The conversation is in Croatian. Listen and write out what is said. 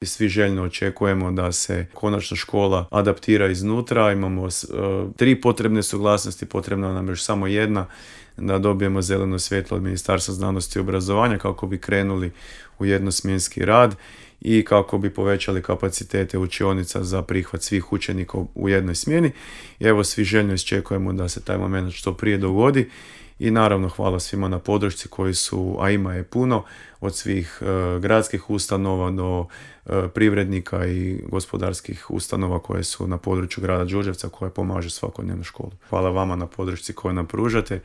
I svi željno očekujemo da se konačno škola adaptira iznutra. Imamo 3 potrebne suglasnosti, potrebna nam još samo jedna, da dobijemo zeleno svjetlo od Ministarstva znanosti i obrazovanja kako bi krenuli u jednosmjenski rad i kako bi povećali kapacitete učionica za prihvat svih učenika u jednoj smjeni. I evo, svi željno iščekujemo da se taj moment što prije dogodi. I naravno hvala svima na podršci koji su, a ima je puno, od svih gradskih ustanova do privrednika i gospodarskih ustanova koje su na području grada Đurđevca koje pomažu svakodnevnu školu. Hvala vama na podršci koju nam pružate